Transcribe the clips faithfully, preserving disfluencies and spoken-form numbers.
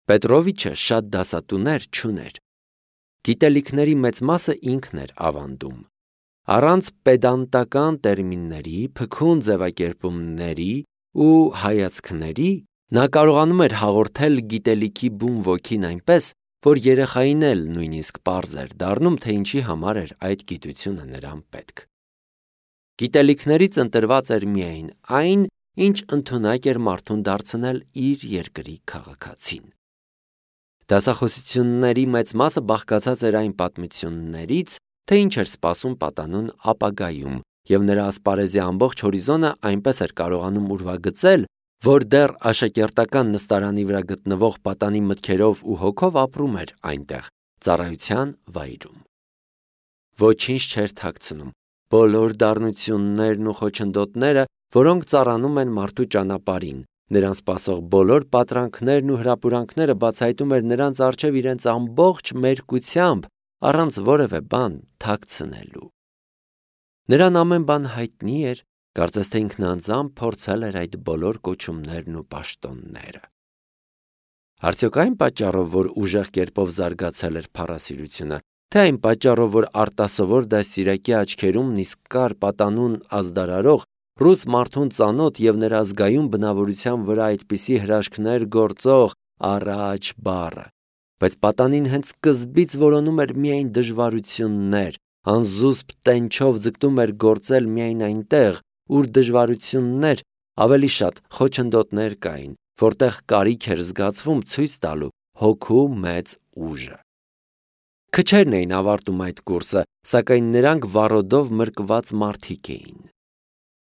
Պետրովիչը շատ դասատուներ չուներ։ Գիտելիքների մեծ մասը ինքն էր ավանդում։ Առանց պեդանտական տերմինների, փքուն ձևակերպումների ու հայացքների նա կարողանում էր հաղորդել գիտելիքի բուն ոգին այնպես, որ երեխային էլ նույնիսկ պարզ էր դառնում, թե ինչի համար էր այդ գիտությունը նրան պետք։ Գիտելիքներից ընտրված էր միայն այն, ինչ ընդունակ էր մարդուն դարձնել իր երկրի քաղաքացին։ Դասախոսությունների մեծ մասը բաղկացած էր այն պատմություններից, թե ինչ էր սպասում պատանուն ապագայում, և նրա ասպարեզի ամբողջ հորիզոնը այնպես էր կարողանում ուրվագծել, որ դեռ աշակերտական նստարանի վրա գտնվող պատանի մտքերով ու հոգով ապրում էր այնտեղ, ծառայության վայրում։ Ոչինչ չէր թաքցնում, բոլոր դառնություններն ու խոչընդոտները, որոնք ծառանում են մարդու ճանապարհին, նրան սպասող բոլոր պատրանքներն ու հրապուրանքները բացահայտում էր նրանց առջև իրենց ամբողջ մերկությամբ, առանց որևէ բան թաքցնելու։ Նրան ամեն բան հայտնի էր, կարծես թե ինքն անձամբ փորձել էր այդ բոլոր կոչումներն ու պաշտոնները։ Արդյոք այն պատճառով, որ ուժեղ կերպով զարգացել էր փառասիրությունը, թե այն պատճառով, որ արտասովոր դաստիարակի աչքերում նիսկար պատանուն ազդարարող ռուս մարդուն ծանոթ և նրա զգայուն բնավորության վրա այդպիսի հրաշքներ գործող «առաջ» բառը, բայց պատանին հենց սկզբից որոնում էր միայն դժվարություններ, անզուսպ տենչով ձգտում էր գործել միայն այնտեղ, ուր դժվարություններ, ավելի շատ խոչընդոտներ կային, որտեղ կարիք էր զգացվում ցույց տալու հոգու մեծ ուժը։ Քչերն էին ավարտում այդ կուրսը, սակայն նրանք վառոդով մրկված մարդիկ էին։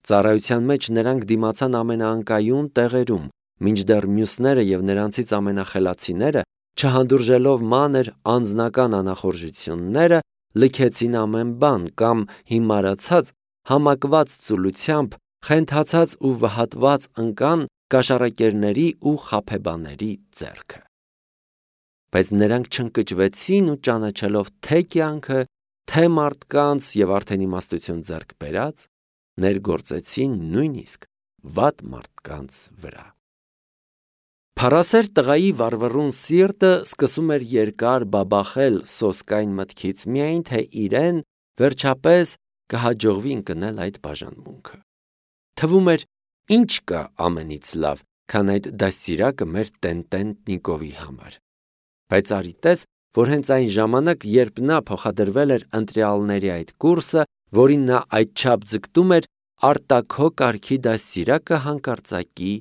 Ծառայության մեջ նրանք դիմացան ամենաանկայուն տեղերում, մինչդեռ մյուսները և նրանցից ամենախելացիները, չհանդուրժելով մանր անձնական անախորժությունները, լքեցին ամեն բան կամ հիմարացած, համակված ծուլությամբ, խենթացած ու վհատված ընկան կաշառակերների ու խաբեբաների ձեռքը։ Բայց նրանք չընկճվեցին ու ճանաչելով թե կյանքը, թե մարդկանց և արդեն իմաստություն ձեռք բերած, ներգործեցին նույնիսկ վատ մարդկանց վրա։ Փառասեր տղայի վառվռուն սիրտը սկսում էր երկար բաբախել սոսկայն մտքից միայն, թե իրեն վերջապես կհաջողվի ընկնել այդ բաժանմունքը։ Թվում էր, ինչ կա ամենից լավ, քան այդ դաստիարակը մեր տեն-տեն Նիկովի համար։ Բայց արի տես, որ հենց այն ժամանակ, երբ նա փոխադրվել էր ընտրյալների այդ կուրսը, որին նա այդչափ ձգտում էր, արտաքո կարգի դաստիարակը հանկարծակի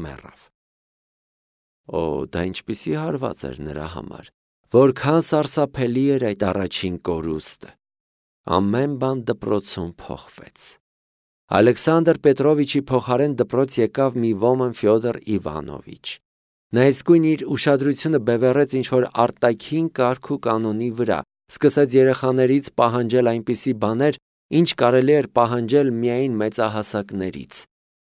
մեռավ։ Օ, դա ինչպիսի հարված էր նրա համար, որքան սարսափելի էր այդ առաջին կորուստը։ Ամեն բան դպրոցում փոխվեց։ Ալեքսանդր Պետրովիչի փոխարեն դպրոց եկավ մի ոմն Ֆյոդոր Իվանովիչ։ Նա իսկույն իր ուշադրությունը բևեռեց ինչ-որ արտաքին կարգ ու կանոնի վրա, սկսեց երեխաներից պահանջել այնպիսի բաներ, ինչ կարելի էր պահանջել միայն մեծահասակներից։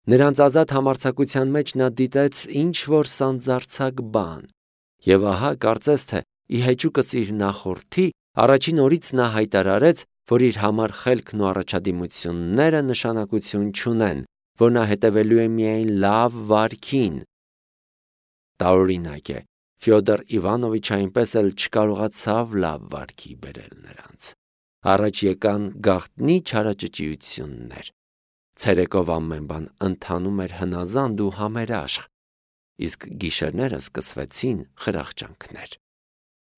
Նրանց ազատ համարձակության մեջ նա դիտեց ինչ-որ սանձարձակ բան։ Եվ ահա, կարծես թե ի հեճուկս իր նախորդի, առաջին օրից նա հայտարարեց, որ իր համար խելքն ու առաջադիմությունները նշանակություն չունեն, որ նա հետևելու է միայն լավ վարքին։ Տարօրինակ է, Ֆյոդոր Իվանովիչը այնպես էլ չկարողացավ լավ վարքի բերել նրանց։ Առաջ եկան գաղտնի չարաճճիություններ։ Ցերեկով ամեն բան ընթանում էր հնազանդ ու համերաշխ, իսկ գիշերները սկսվեցին խրախճանքներ։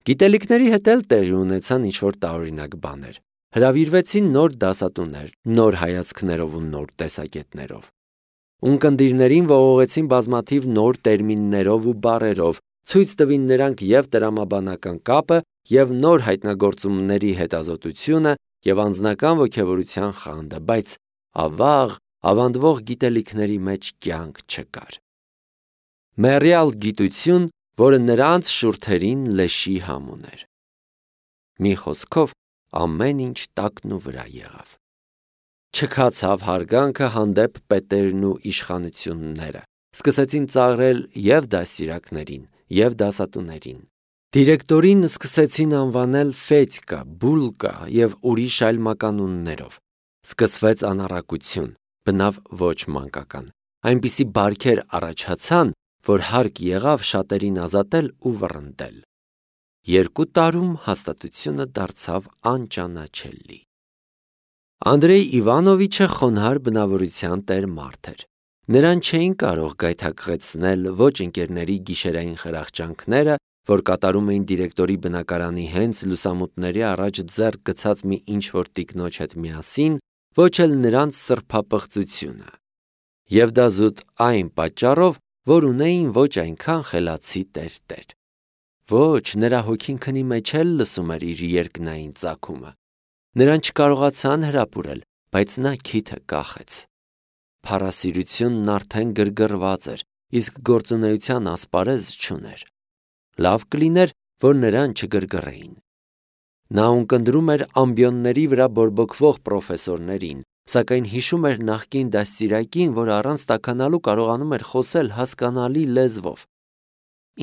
Գիտելիքների հետ էլ տեղի ունեցան ինչ-որ տարօրինակ բաներ։ Հրավիրվեցին նոր դասատուներ, նոր հայացքներով ու նոր տեսակետներով։ Ունկնդիրներին ողողեցին բազմաթիվ նոր տերմիններով ու բառերով, ցույց տվին նրանք և տրամաբանական կապը, և նոր հայտնագործումների հետազոտությունը, և անձնական ոգևորության խանդը, բայց ավաղ, ավանդվող գիտելիքների մեջ կյանք չկար։ Մեռյալ գիտություն, որը նրանց շուրթերին լեշի համ ուներ։ Մի խոսքով, ամեն ինչ տակն ու վրա եղավ։ Չքացավ հարգանքը հանդեպ պետերն ու իշխանությունները, սկսեցին ծաղրել և դաստիարակներին, և դասատուներին։ Դիրեկտորին սկսեցին անվանել Ֆեդկա, Բուլկա և ուրիշ այլ մականուններով։ Սկսվեց անառակություն, բնավ ոչ մանկական։ Այնպիսի բարքեր առաջացան, որ հարկ եղավ շատերին ազատել ու վռնդել։ Երկու տարում հաստատությունը դարձավ անճանաչելի։ Անդրեյ Իվանովիչը խոնարհ բնավորության տեր մարդ էր։ Նրան չէին կարող գայթակղեցնել ոչ ընկերների գիշերային խրախճանքները, որ կատարում էին դիրեկտորի բնակարանի հենց լուսամուտների առաջ ձեռք գցած մի ինչ-որ տիկնոջ հետ միասին, ոչ էլ նրանց սրբապղծությունը։ Եվ դա զուտ այն պատճառով, որ ունեին ոչ այնքան խելացի տեր-տեր։ Ոչ, նրա հոգին քնի մեջ էլ լսում էր իր երկնային ծագումը։ Նրան չկարողացան հրապուրել, բայց նա քիթը կախեց։ Փառասիրությունն արդեն գրգռված էր, իսկ գործունեության ասպարեզ չուներ։ Լավ կլիներ, որ նրան չգրգռեին։ Նա ունկնդրում էր ամբիոնների վրա բորբոքվող պրոֆեսորներին, սակայն հիշում էր նախկին դաստիարակին, որ առանց տաքանալու կարողանում էր խոսել հասկանալի լեզվով։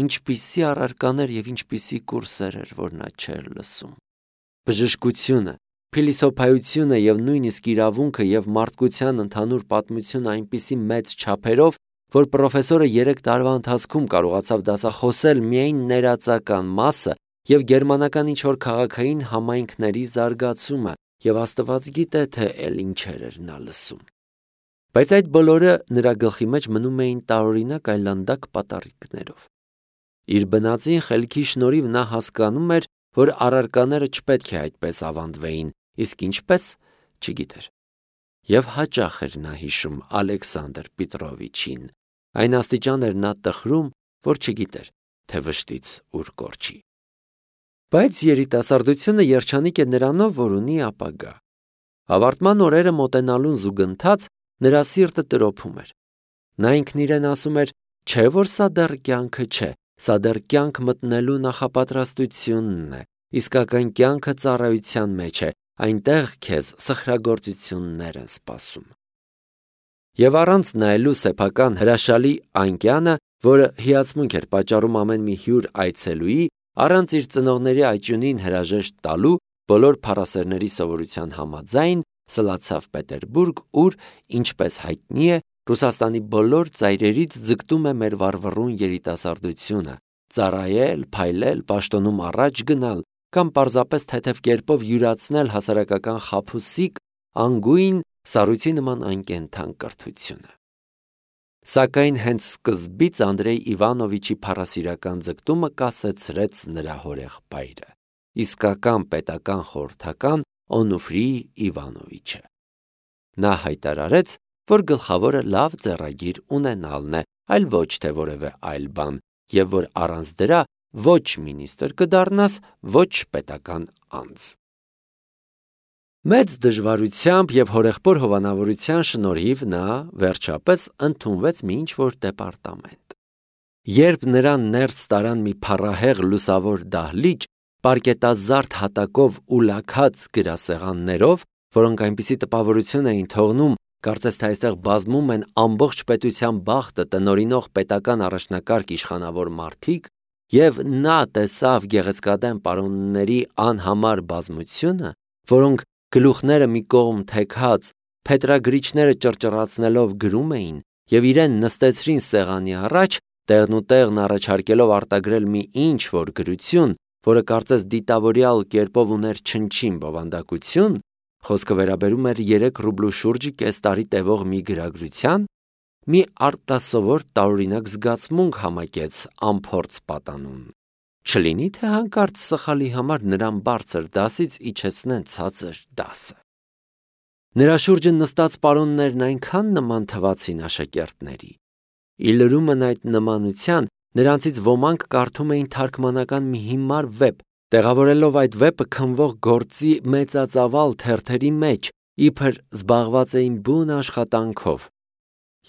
Ինչպիսի առարկաներ և ինչպիսի կուրսեր էր, որ նա չէր լսում։ Բժշկությունը, փիլիսոփայությունը և նույնիսկ իրավունքը և մարդկության ընդհանուր պատմությունը այնպիսի մեծ չափերով, որ պրոֆեսորը երեք տարվա ընթացքում կարողացավ դասախոսել միայն ներածական մասը և գերմանական ինչ-որ քաղաքային համայնքների զարգացումը, և Աստված գիտե, թե էլ ինչեր էր նա լսում։ Բայց այդ բոլորը նրա գլխի մեջ մնում էին տարօրինակ այլանդակ պատառիկներով։ Իր բնածին խելքի շնորհիվ նա հասկանում էր, որ առարկաները չպետք է այդպես ավանդվեին, իսկ ինչպես չգիտեր։ Եվ հաճախ էր նա հիշում Ալեքսանդր Պետրովիչին, այն աստիճան էր նա տխրում, որ չգիտեր, թե վշտից ուր կորչի։ Բայց երիտասարդությունը երջանիկ է նրանով, որ ունի ապագա։ Ավարտման օրերը մոտենալուն զուգընթաց նրա սիրտը տրոփում էր։ Նա ինքն իրեն ասում էր, չէ՞ որ սա դեռ կյանքը չէ, սա դեռ կյանք մտնելու նախապատրաստությունն է, իսկական կյանքը ծառայության մեջ է, այնտեղ քեզ սխրագործություններ են սպասում։ Եվ առանց նայելու սեփական հրաշալի անկյանը, որը հիացմունք էր պատճառում ամեն մի հյուր այցելուի, առանց իր ծնողների այճունին հրաժեշտ տալու, բոլոր փառասերների սովորության համաձայն, սլացավ Պետերբուրգ, ուր, ինչպես հայտնի է, Ռուսաստանի բոլոր ծայրերից ձգտում է մեր վառվռուն երիտասարդությունը, ծառայել, փայլել, պաշտոնում առաջ գնալ, կամ պարզապես թեթև կերպով յուրացնել հասարակական խաբուսիկ, անգույն, սառույցի նման անկենդան կրթությունը։ Սակայն հենց սկզբից Անդրեյ Իվանովիչի փառասիրական ձգտումը կասեցրեց նրա հորեղբայրը, իսկական պետական խորհրդական Օնուֆրի Իվանովիչը։ Նա հայտարարեց, որ գլխավորը լավ ձեռագիր ունենալն է, այլ ոչ թե որևէ այլ բան, և որ առանց դրա ոչ մինիստրը կդառնաս, ոչ պետական անձ։ Մեծ դժվարությամբ և հորեղբոր հովանավորության շնորհիվ նա վերջապես ընդունվեց մի ինչ-որ դեպարտամենտ։ Երբ նրան ներս տարան մի փառահեղ լուսավոր դահլիճ, պարկետազարդ հատակով ու լաքած գրասեղաններով, որոնք այնպիսի տպավորություն էին թողնում, կարծես թե այստեղ բազմում են ամբողջ պետության բախտը տնօրինող պետական առաջնակարգ իշխանավոր մարդիկ, և նա տեսավ գեղեցկադեմ պարոնների անհամար բազմությունը, որոնք գլուխները մի կողմ թեքած, փետրագրիչները ճռճռացնելով գրում էին և իրեն նստեցրին սեղանի առաջ, տեղնուտեղն առաջարկելով արտագրել մի ինչ-որ գրություն, որը կարծես դիտավորյալ կերպով ուներ չնչին բովանդակություն, խոսքը վերաբերում էր երեք ռուբլու շուրջը կես տարի տևող մի գրագրության, մի արտասովոր տարօրինակ զգացմունք համակեց անփորձ պատանուն։ Չլինի թե հանկարծ սխալի համար նրան բարձր դասից իջեցնեն ցածր դասը։ Նրա շուրջը նստած պարոններն այնքան նման թվացին աշակերտների։ Ի լրումն այդ նմանության նրանցից ոմանք կարդում էին թարգմանական մի հիմար վեպ, տեղավորելով այդ վեպը քնվող գործի մեծածավալ թերթերի մեջ, իբր զբաղված էին բուն աշխատանքով,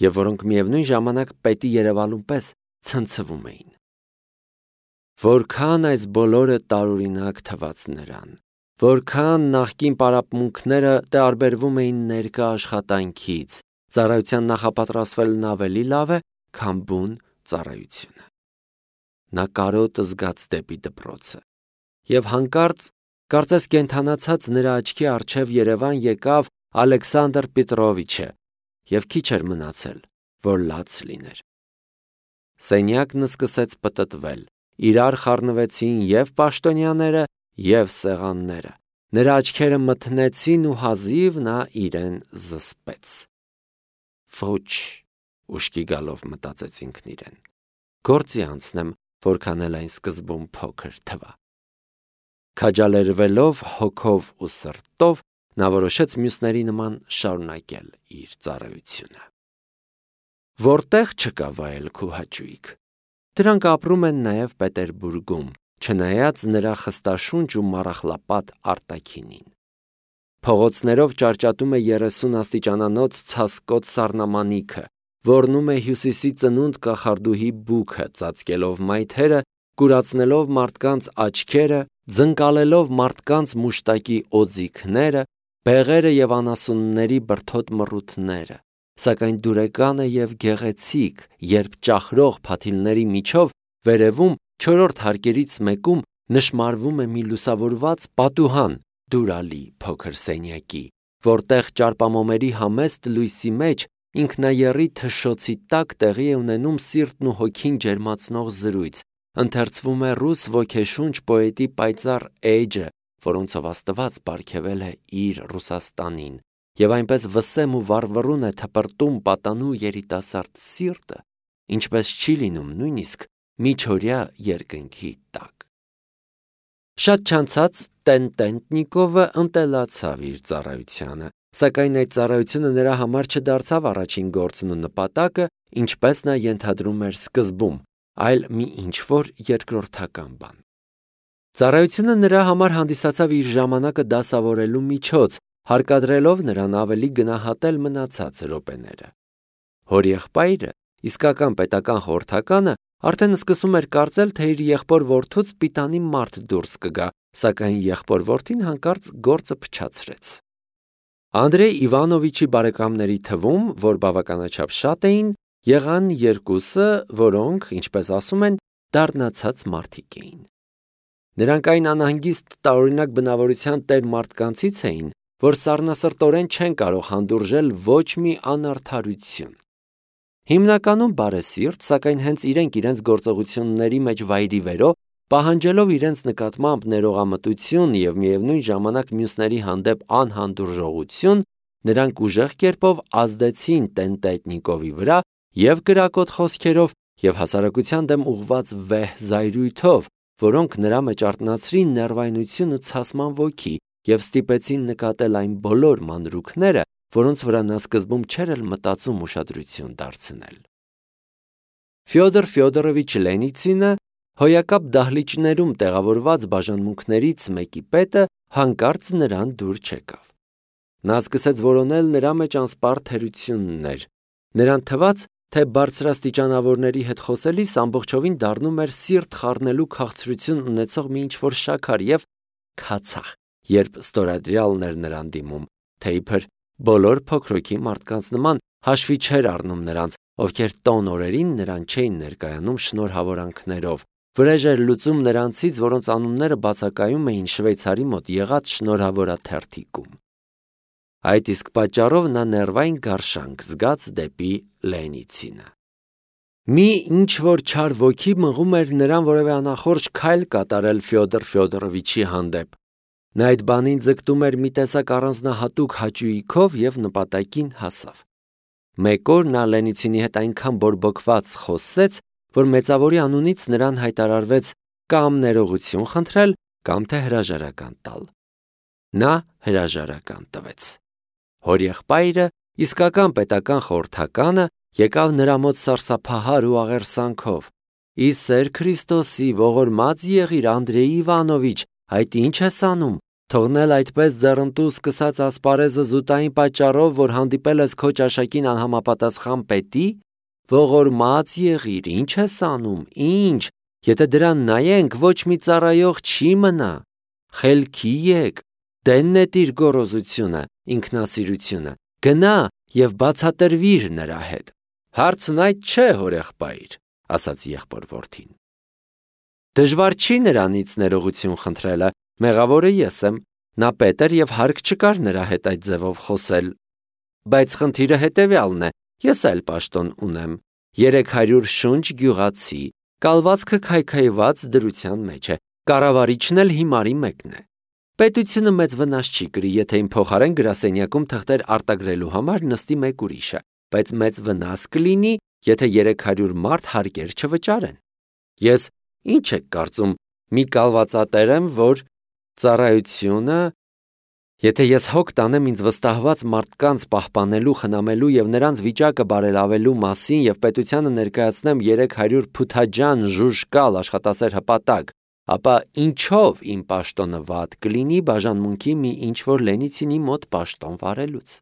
և որոնք միևնույն ժամանակ պետի երևալուն պես ցնցվում էին։ Որքան այս բոլորը տարօրինակ թվաց նրան, որքան նախկին պարապմունքները տարբերվում էին ներկա աշխատանքից, ծառայության նախապատրաստվելն ավելի լավ է, քան բուն ծառայությունը։ Նա կարոտը զգաց դեպի դպրոցը, և հանկարծ, կարծես կենդանացած նրա աչքի առջև երևան եկավ Ալեքսանդր Պետրովիչը, և քիչ էր մնացել, որ լաց լիներ։ Սենյակն սկսեց պտտվել, իրար խառնվեցին և պաշտոնյաները, և սեղանները, նրա աչքերը մթնեցին ու հազիվ նա իրեն զսպեց։ Ոչ, ուշքի գալով մտածեց ինքն իրեն, գործի անցնեմ, որքան էլ այն սկզբում փոքր թվա։ Քաջալերվելով հոգով ու սրտով, նա որոշեց մյուսների նման շարունակել իր ծառայությունը։ Որտեղ չկա վայելք ու հաճույք։ Դրանք ապրում են նաև Պետերբուրգում, չնայած նրա խստաշունչ ու մառախլապատ արտաքինին։ Փողոցներով ճարճատում է երեսուն աստիճանանոց ցասկոտ սառնամանիքը, ոռնում է հյուսիսի ծնունդ կախարդուհի բուքը, ծածկելով մայթերը, կուրացնելով մարդկանց աչքերը, ձնկալելով մարդկանց մուշտակի օձիքները, բեղերը և անասունների բրդոտ մռութները, սակայն դուրեկան է և գեղեցիկ, երբ ճախրող փաթիլների միջով վերևում չորրորդ հարկերից մեկում նշմարվում է մի լուսավորված պատուհան դուրալի փոքր սենյակի, որտեղ ճարպամոմերի համեստ լույսի մեջ ինքնաեռի թշոցի տակ տեղի է ունենում սիրտն ու հոգին ջերմացնող զրույց, ընթերցվում է ռուս ոգեշունչ պոետի պայծառ էջը, որոնցով Աստված պարգևել է իր Ռուսաստանին, և այնպես վսեմ ու վառվռուն է թպրտում պատանու երիտասարդ սիրտը, ինչպես չի լինում նույնիսկ միջօրյա երկնքի տակ։ Շատ չանցած Տեն-Տենտնիկովը ընտելացավ իր ծառայությանը, սակայն այդ ծառայությունը նրա համար չդարձավ առաջին գործն ու նպատակը, ինչպես նա ենթադրում էր սկզբում, այլ մի ինչ-որ երկրորդական բան։ Ծառայությունը նրա համար հանդիսացավ իր ժամանակը դասավորելու միջոց, հարկադրելով նրան ավելի գնահատել մնացած րոպեները։ Հորեղբայրը, իսկական պետական խորհրդականը, արդեն սկսում էր կարծել, թե իր եղբոր-որդուց պիտանի մարդ դուրս կգա, սակայն եղբոր-որդին հանկարծ գործը փչացրեց։ Անդրեյ Իվանովիչի բարեկամների թվում, որ բավականաչափ շատ էին, եղան երկուսը, որոնք, ինչպես ասում են, դառնացած մարդիկ էին։ Նրանք այն անհանգիստ տարօրինակ բնավորության տեր մարդկանցից էին, որ սառնասրտորեն չեն կարող հանդուրժել ոչ մի անարդարություն։ Հիմնականում բարեսիրտ, սակայն հենց իրենք իրենց գործողությունների մեջ վայրի վերո, պահանջելով իրենց նկատմամբ ներողամտություն և միևնույն ժամանակ մյուսների հանդեպ անհանդուրժողություն, նրանք ուժեղ կերպով ազդեցին Տեն-Տենտնիկովի վրա և կրակոտ խոսքերով, և հասարակության դեմ ուղղված վեհ զայրույթով, որոնք նրա մեջ արթնացրին ներվայնություն ու ցասման ոգի և ստիպեցին նկատել այն բոլոր մանրուքները, որոնց վրա նա սկզբում չէր էլ մտածում ուշադրություն դարձնել։ Ֆյոդոր Ֆյոդորովիչ Լենիցինը, հոյակապ դահլիճներում տեղավորված բաժանմունքներից մեկի պետը, հանկարծ նրան դուր չեկավ։ Նա սկսեց որոնել նրա մեջ անսպառ թերություններ։ Նրան թվաց, թե բարձրաստիճանավորների հետ խոսելիս ամբողջովին դառնում էր սիրտ խառնելու քաղցրություն ունեցող մի ինչ-որ շաքար և քացախ, երբ ստորադրյալն էր նրան դիմում, թե իբր բոլոր փոքրոքի մարդկանց նման հաշվի չէր առնում նրանց, ովքեր տոն օրերին նրան չէին ներկայանում շնորհավորանքներով, վրեժ էր լուծում նրանցից, որոնց անունները բացակայում էին Շվեյցարի մոտ եղած շնորհավորաթերթիկում։ Այդ իսկ պատճառով նա ներվային գարշանք զգաց դեպի Լենիցինը։ Մի ինչ-որ չար ոգի մղում էր նրան որևէ անախորժ քայլ կատարել Ֆյոդոր Ֆյոդորովիչի հանդեպ։ Նա այդ բանին ձգտում էր մի տեսակ առանձնահատուկ հաճույքով և նպատակին հասավ։ Մեկ օր նա Լենիցինի հետ այնքան բորբոքված խոսեց, որ մեծավորի անունից նրան հայտարարվեց կամ ներողություն խնդրել, կամ թե հրաժարական տալ։ Նա հրաժարական տվեց։ Հորեղբայրը, իսկական պետական խորհրդականը, եկավ նրա մոտ սարսափահար ու աղերսանքով. «Ի սեր Քրիստոսի, ողորմած եղիր, Անդրեյ Իվանովիչ, այդ ինչ ես անում, թողնել այդպես ձեռնտու սկսած ասպարեզը զուտային պատճառով, որ հանդիպել ես քո ճաշակին անհամապատասխան պետի, ողորմած եղիր, ինչ ես անում, ինչ, եթե դրան նայենք, ոչ մի ծառայող չի մնա, խելքի եկ, դեն նետիր գոռոզությունը, ինքնասիրությունը, գնա և բացատրվիր նրա հետ»։ Հարցն այդ չէ, հորեղբայր, ասաց եղբոր-որդին։ Դժվար չի նրանից ներողություն խնդրելը, մեղավորը ես եմ, նա պետ էր և հարկ չկար նրա հետ այդ ձևով խոսել։ Բայց խնդիրը հետևյալն է, ես էլ պաշտոն ունեմ, երեք հարյուր շունչ գյուղացի, կալվածքը քայքայված դրության մեջ է, կառավարիչն էլ հիմարի մեկն է։ Պետությունը մեծ վնաս չի կրի, եթե իմ փոխարեն գրասենյակում թղթեր արտագրելու համար նստի մեկ ուրիշը, բայց մեծ վնաս կլինի, եթե երեք հարյուր մարդ հարկեր չվճարեն։ Ես ինչ եք կարծում, մի կալվածատեր եմ, որ ծառայությունը, եթե ես հոգ տանեմ ինձ վստահված մարդկանց պահպանելու, խնամելու եւ նրանց վիճակը բարելավելու մասին եւ պետությանը ներկայացնեմ երեք հարյուր փութաջան ժուժկալ աշխատասեր հպատակ, ապա ինչով իմ պաշտոնը վատ կլինի բաժանմունքի մի ինչ-որ Լենիցինի մոտ պաշտոն վարելուց։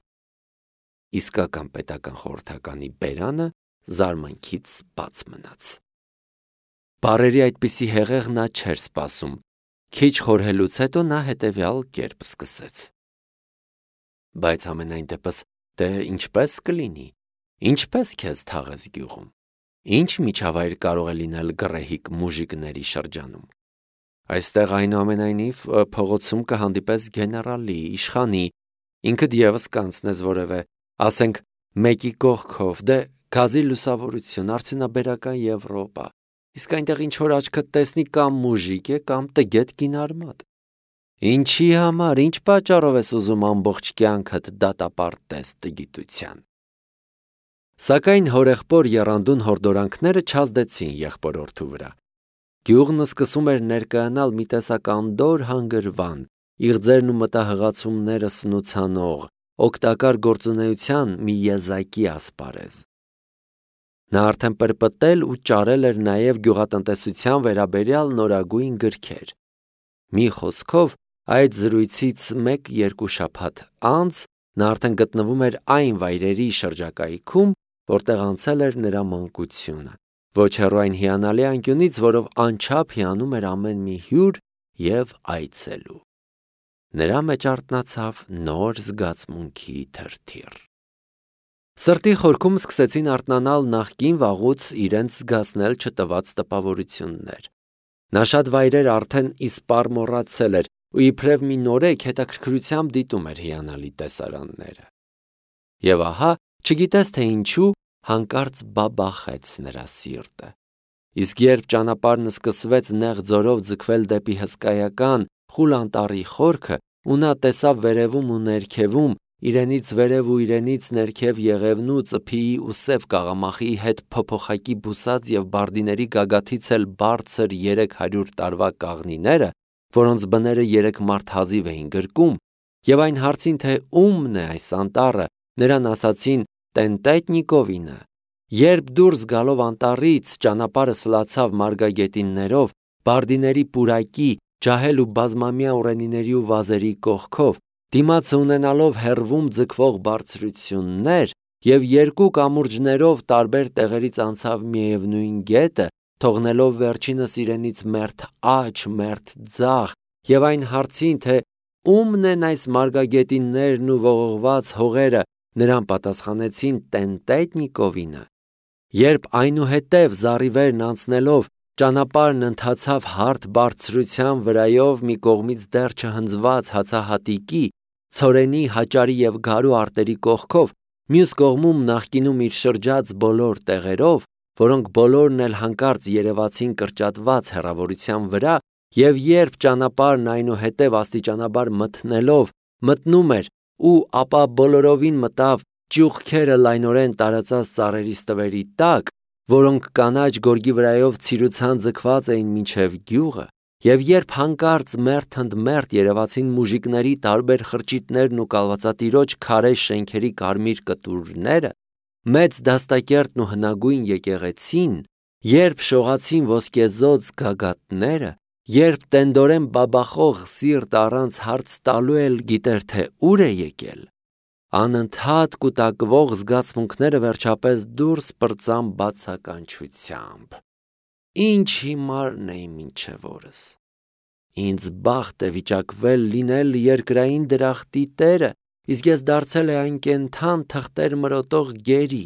Իսկական պետական խորհրդականի բերանը զարմանքից բաց մնաց։ Բարերի այդպիսի հեղեղ նա չէր սպասում։ Քիչ խորհելուց հետո նա հետևյալ կերպ սկսեց. Բայց ամենայն դեպս, դե ինչպես կլինի, ինչպես քեզ թաղես գյուղում, ինչ միջավայր կարող է լինել գռեհիկ մուժիկների շրջանում։ Այստեղ այնուամենայնիվ փողոցում կհանդիպես գեներալի, իշխանի, ինքդ ևս կանցնես որևէ, ասենք մեկի կողքով, դե գազի լուսավորություն, արդյունաբերական Եվրոպա, իսկ այնտեղ ինչ-որ աչքդ տեսնի կամ մուժիկ է, կամ տգետ կինարմատ։ Ինչի համար, ինչ պատճառով ես ուզում ամբողջ կյանքդ դատապարտես տգիտության։ Սակայն հորեղբոր եռանդուն հորդորանքները չազդեցին եղբորորդու վրա։ Գյուղն սկսում էր ներկայանալ մի տեսակ անդոր հանգրվան, իղձերն ու մտահղացումները սնուցանող, օգտակար գործունեության մի եզակի ասպարեզ։ Նա արդեն պրպտել ու ճարել էր նաև գյուղատնտեսության վերաբերյալ նորագույն գրքեր։ Մի խոսքով, այդ զրույցից մեկ-երկու շաբաթ անց նա արդեն գտնվում էր այն վայրերի շրջակայքում, որտեղ անցել էր նրա մանկությունը, ոչ հեռու այն հիանալի անկյունից, որով անչափ հիանում էր ամեն մի հյուր և այցելու։ Նրա մեջ արթնացավ նոր զգացմունքի թրթիռ։ Սրտի խորքում սկսեցին արթնանալ նախկին վաղուց իրենց զգացնել չտված տպավորություններ։ Նա շատ վայրեր արդեն իսպառ մոռացել էր ու իբրև մի նորեկ հետաքրքրությամբ դիտում էր հիանալի տեսարանները։ Եվ ահա, չգիտես թե ինչու, հանկարծ բաբախեց նրա սիրտը։ Իսկ երբ ճանապարհն սկսվեց նեղ ձորով ձգվել դեպի հսկայական խուլ անտառի խորքը, ու նա տեսավ վերևում ու ներքևում, իրենից վերև ու իրենից ներքև եղևնու, ծփիի ու սև կաղամախի հետ փոփոխակի բուսած և բարդիների գագաթից էլ բարձր երեք հարյուր տարվա կաղնիները, որոնց բները երեք մարդ հազիվ էին գրկում, և այն հարցին, թե ումն է այս անտառը, նրան ասացին Տենտետնիկովինը։ Երբ դուրս գալով անտառից ճանապարհը սլացավ մարգագետիններով, բարդիների պուրակի, ջահել ու բազմամյա ուռենիների ու վազերի կողքով, դիմացը ունենալով հեռվում ձգվող բարձրություններ և երկու կամուրջներով տարբեր տեղերից անցավ միևնույն գետը, թողնելով վերջինս իրենից մերթ աջ, մերթ ձախ, և այն հարցին, թե ումն են այս մարգագետիններն ու ողողված հողերը, նրան պատասխանեցին Տենտետնիկովինը։ Երբ այնուհետև զառիվերն անցնելով ճանապարհն ընթացավ հարթ բարձրության վրայով մի կողմից դեռ չհնձված հացահատիկի, ցորենի, հաճարի և գարու արտերի կողքով, մյուս կողմում նախկինում իր շրջած բոլոր տեղերով, որոնք բոլորն էլ հանկարծ երևացին կրճատված հեռավորության վրա, և երբ ճանապարհն այնուհետև աստիճանաբար մթնելով մտնում էր ու ապա բոլորովին մտավ ճյուղքերը լայնորեն տարածած ծառերի ստվերի տակ, որոնք կանաչ գորգի վրայով ցիրուցան ձգված էին մինչև գյուղը, և երբ հանկարծ մերթ ընդ մերթ երևացին մուժիկների տարբեր խրճիթներն ու կալվածատիրոջ քարե շենքերի կարմիր կտուրները, մեծ դաստակերտն ու հնագույն եկեղեցին, երբ շողացին ոսկեզօծ գագաթները, երբ տենդորեն բաբախող սիրտ առանց հարց տալու էլ գիտեր, թե ուր է եկել, անընդհատ կուտակվող զգացմունքները վերջապես դուրս պրծան բացականչությամբ. Ինչ հիմարն էի մինչև օրս, ինձ բախտ է վիճակվել լինել երկրային դրախտի տերը, իսկ ես դարձել է այն կենդան թղթեր մրոտող գերի։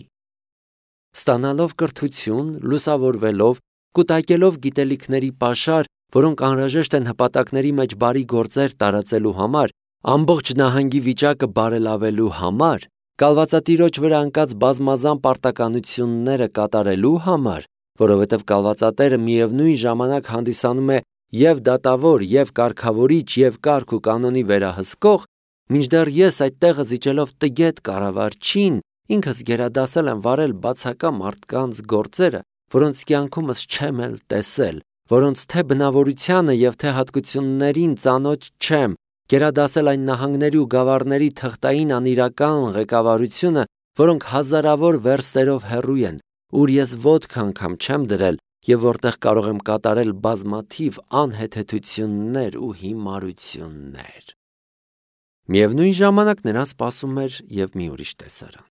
Ստանալով կրթություն, լուսավորվելով, կուտակելով գիտելիքների պաշար, որոնք անհրաժեշտ են հպատակների մեջ բարի գործեր տարածելու համար, ամբողջ նահանգի վիճակը բարելավելու համար, կալվածատիրոջ վրա ընկած բազմազան պարտականությունները կատարելու համար, որովհետև կալվածատերը միևնույն ժամանակ հանդիսանում է և դատավոր, և կարգավորիչ, և կարգ ու կանոնի վերահսկող, մինչդեռ ես այդ տեղը զիջելով տգետ կառավարչին, ինքս գերադասել եմ վարել բացակա մարդկանց գործերը, որոնց կյանքումս չեմ էլ տեսել, որոնց թե բնավորությանը և թե հատկություններին ծանոթ չեմ, գերադասել այն նահանգների ու գավառների թղթային անիրական ղեկավարությունը, որոնք հազարավոր վերստերով հեռու են, ուր ես ոտք անգամ չեմ դրել և որտեղ կարող եմ կատարել բազմաթիվ անհեթեթություններ ու հիմարություններ։ Միևնույն ժամանակ նրան սպասում էր և մի ուրիշ տեսարան։